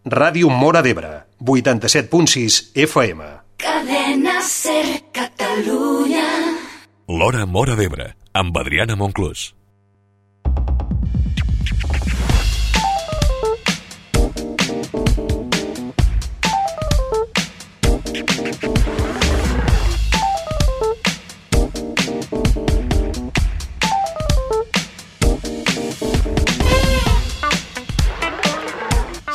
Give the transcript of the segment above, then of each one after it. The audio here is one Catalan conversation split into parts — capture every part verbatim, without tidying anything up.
Ràdio Móra d'Ebre, vuitanta-set punt sis F M. Cadena Ser Catalunya. L'Hora Móra d'Ebre, amb Adriana Monclús.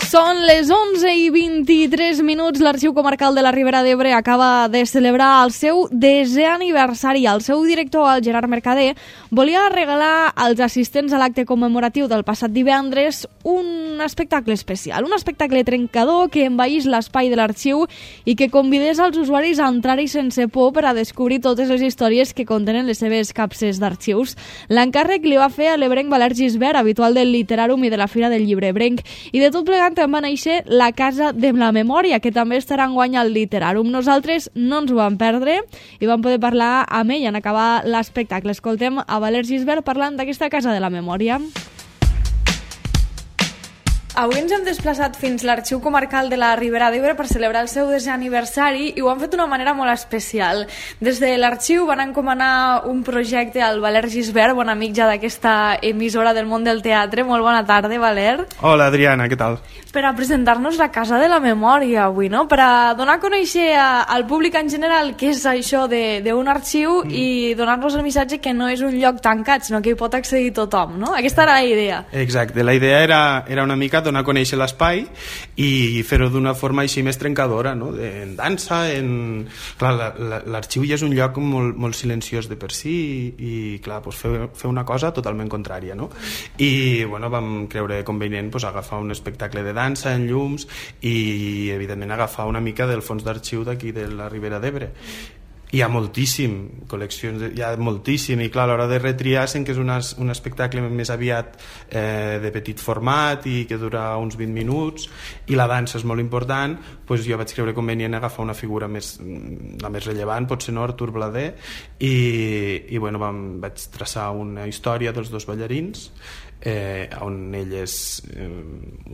Són les onze i vint-i-tres minuts. L'Arxiu Comarcal de la Ribera d'Ebre acaba de celebrar el seu desè aniversari. El seu director, el Gerard Mercader, volia regalar als assistents a l'acte commemoratiu del passat divendres un espectacle especial, un espectacle trencador que envaís l'espai de l'arxiu i que convidés als usuaris a entrar-hi sense por per a descobrir totes les històries que contenen les seves capses d'arxius. L'encàrrec li va fer a l'ebrenc Valer Gisbert, habitual del Literàrum i de la Fira del Llibre Ebrenc, i de tot plegant va néixer la Casa de la Memòria, que també estarà enguany al Literàrum. Nosaltres no ens ho vam perdre i vam poder parlar amb ell en acabar l'espectacle. Escoltem a Valer Gisbert parlant d'aquesta Casa de la Memòria. Avui ens hem desplaçat fins a l'Arxiu Comarcal de la Ribera d'Ebre per celebrar el seu desè aniversari i ho han fet d'una manera molt especial. Des de l'arxiu van encomanar un projecte al Valer Gisbert, bon amic ja d'aquesta emissora del món del teatre. Molt bona tarda, Valer. Hola, Adriana, què tal? Per a presentar-nos la Casa de la Memòria avui, no? Per a donar a conèixer a, al públic en general què és això d'un arxiu mm. i donar-nos el missatge que no és un lloc tancat, sinó que hi pot accedir tothom, no? Aquesta era la idea. Exacte, la idea era, era una mica donar a conèixer l'espai i fer-ho d'una forma així més trencadora, no? En dansa, en... Clar, l'arxiu ja és un lloc molt, molt silenciós de per si i, clar, doncs fer, fer una cosa totalment contrària, no? I, bueno, vam creure convenient doncs, agafar un espectacle de dansa en llums i, evidentment, agafar una mica del fons d'arxiu d'aquí de la Ribera d'Ebre. Hi ha moltíssim, col·leccions, hi ha moltíssim, i clar, a l'hora de retriar sent que és una, un espectacle més aviat eh, de petit format i que dura uns vint minuts i la dansa és molt important, doncs jo vaig creure convenient agafar una figura més, la més rellevant, potser no, Artur Blader, i, i bueno, vam, vaig traçar una història dels dos ballarins, Eh, on ell és eh,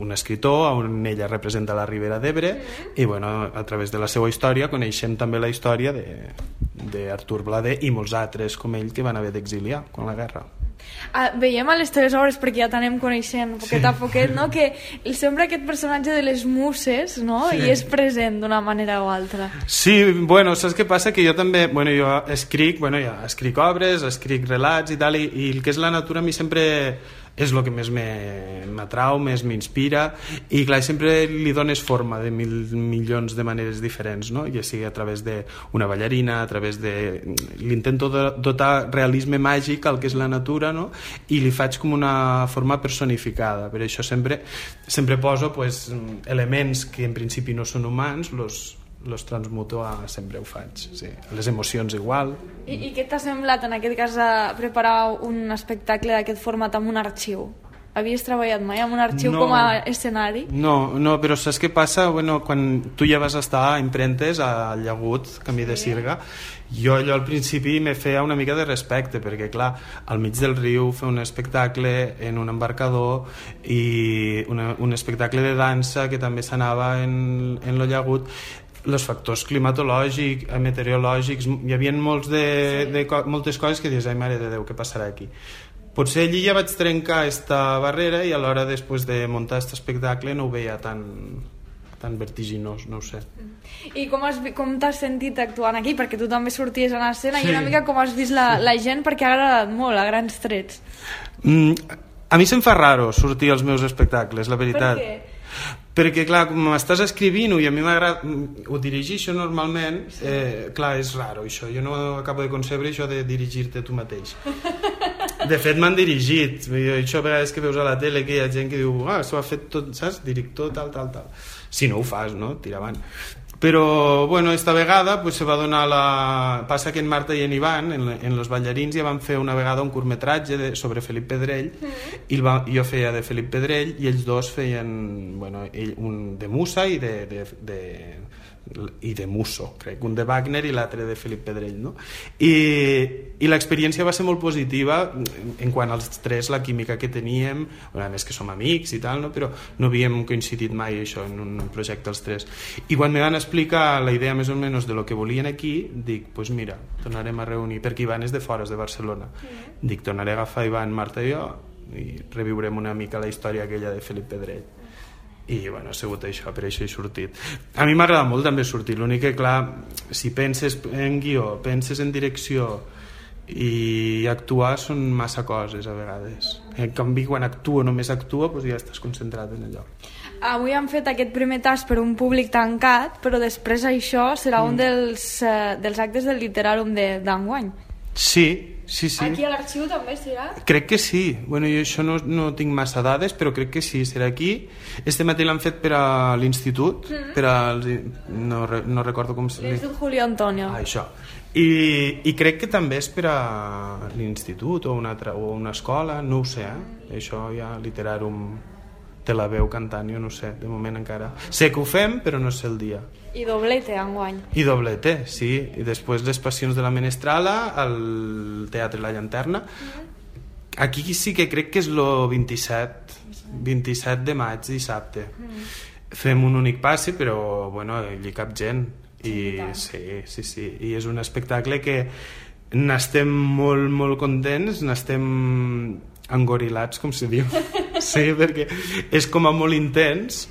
un escritor, on ella representa la Ribera d'Ebre i bueno, a través de la seva història coneixem també la història d'Artur Blader i molts altres com ell que van haver d'exiliar quan la guerra. Ah, veiem a les teves obres, perquè ja t'anem coneixent poquet sí. a poquet, no? Que sembla aquest personatge de les muses, no? Sí. I és present d'una manera o altra. Sí, bueno, saps què passa? Que jo també, bueno, jo escric, bueno, ja escric obres, escric relats i tal, i, i el que és la natura a mi sempre és el que més m'atrau, més m'inspira, i clar, sempre li dones forma de mil milions de maneres diferents, no? Ja sigui a través d'una ballarina, a través de... l'intento dotar realisme màgic al que és la natura, no? I li faig com una forma personificada. Per això sempre, sempre poso pues, elements que en principi no són humans, los los transmuto a... sempre ho faig, sí. Les emocions igual. I, i què t'ha semblat en aquest cas a preparar un espectacle d'aquest format amb un arxiu? Havies treballat mai amb un arxiu no, com a escenari? No, no, però saps què passa? Bueno, quan tu ja vas estar a Imprentes, a Llagut, Camí de Sirga, jo allò al principi me feia una mica de respecte, perquè clar, al mig del riu fer un espectacle en un embarcador i una, un espectacle de dansa que també s'anava en, en lo Llagut, els factors climatològics, meteorològics, hi havia molts de, de, moltes coses que dius, ai mare de Déu, què passarà aquí? Potser allí ja vaig trencar esta barrera i a l'hora després de muntar aquest espectacle no ho veia tan, tan vertiginós, no ho sé. I com has, com t'has sentit actuant aquí? Perquè tu també sorties a l'escena sí. I una mica com has vist la, sí. la gent, perquè ha agradat molt, a grans trets. Mm, a mi se'm fa raro sortir als meus espectacles, la veritat. Per què? Perquè clar, com m'estàs escrivint-ho i a mi m'agrada, ho dirigeixo normalment, eh, clar, és raro això, jo no acabo de concebre això de dirigir-te tu mateix. De fet m'han dirigit, això a vegades que veus a la tele que hi ha gent que diu, ah, s'ho ha fet tot, saps, director, tal, tal, tal. Si no ho fas, no? Tira avant. Però, bueno, esta vegada pues, se va donar la... Passa que en Marta i en Ivan, en, en Los Ballarins, ja van fer una vegada un curtmetratge de, sobre Felip Pedrell, mm. i va, jo feia de Felip Pedrell, i ells dos feien, bueno, ell, un de Musa i de, de, de, i de Musso, crec, un de Wagner i l'altre de Felip Pedrell, no? I, i l'experiència va ser molt positiva en quant als tres, la química que teníem, a més que som amics i tal, no? Però no havíem coincidit mai això en un projecte els tres. I quan me van explicar la idea més o menys de lo que volien aquí, dic, pues mira, tornarem a reunir, perquè Ivan és de fora, és de Barcelona. Mm. Dic, tornaré a agafar Ivan, Marta i jo i reviurem una mica la història aquella de Felip Pedrell. I bueno, ha sigut això, per això he sortit. A mi m'agrada molt també sortir, l'únic que clar, si penses en guió, penses en direcció i actuar són massa coses a vegades. En canvi, quan actuo, només actuo, doncs ja estàs concentrat en allò. Avui han fet aquest primer tast per un públic tancat, però després això serà mm. un dels, uh, dels actes del Literàrum d'enguany. Sí, sí, sí. Aquí a l'arxiu també serà? Crec que sí. Bueno, jo això no, no tinc massa dades, però crec que sí, serà aquí. Este matí l'han fet per a l'institut, mm-hmm. per als... No, no recordo com se... L'Institut Julio Antonio. Ah, això. I, I crec que també és per a l'institut o una, altra, o una escola, no ho sé, eh? Això ja Literàrum te la veu cantant, jo no sé, de moment encara. Sé que ho fem, però no sé el dia. I doblete enguany. I doblete, sí. I després les Passions de la Menestrala al Teatre La Llanterna. Mm-hmm. Aquí sí que crec que és el vint-i-set vint-i-set de maig, dissabte. Mm-hmm. Fem un únic passi, però bueno, hi cap gent. I sí, sí, sí. I és un espectacle que n'estem molt, molt contents, n'estem engorilats, com se diu. Sí, perquè és com a molt intens,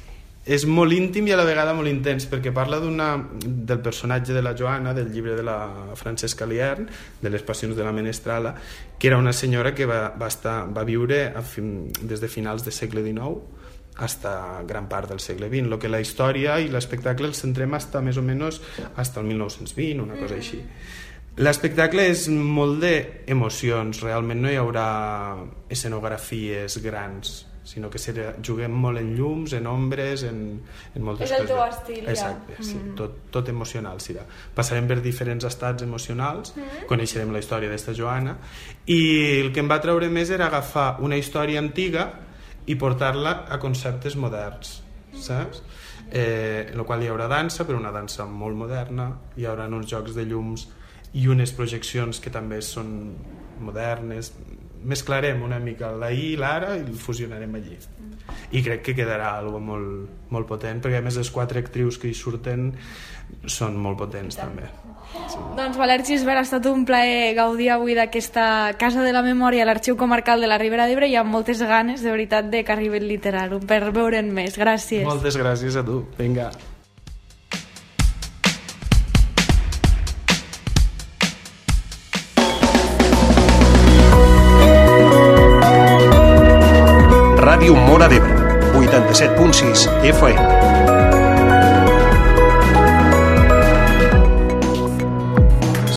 és molt íntim i a la vegada molt intens, perquè parla d'una, del personatge de la Joana, del llibre de la Francesca Liern, de les Passions de la Menestrala, que era una senyora que va, va, estar, va viure a fin, des de finals del segle dinou fins a gran part del segle vint, lo que la història i l'espectacle el centrem hasta més o menys hasta el mil nou-cents vint, una cosa així. L'espectacle és molt d'emocions, realment no hi haurà escenografies grans, sinó que serà, juguem molt en llums, en ombres, en, en moltes coses. És el teu estil, ja. Exacte, sí, mm. tot, tot emocional serà. Passarem per diferents estats emocionals, mm. coneixerem la història d'esta Joana, i el que em va treure més era agafar una història antiga i portar-la a conceptes moderns, saps? Eh, en el qual hi haurà dansa, però una dansa molt moderna, hi haurà uns jocs de llums i unes projeccions que també són modernes. Mesclarem una mica l'ahir i l'ara i el fusionarem allí. I crec que quedarà algo molt, molt potent, perquè a més les quatre actrius que hi surten són molt potents també. Sí. Doncs Valère Gisbert, ha estat un plaer gaudir avui d'aquesta Casa de la Memòria a l'Arxiu Comarcal de la Ribera d'Ebre i amb moltes ganes, de veritat, de que arribi el Literàrum per veure'n més. Gràcies. Moltes gràcies a tu. Vinga. Ràdio Móra d'Ebre, vuitanta-set punt sis F M.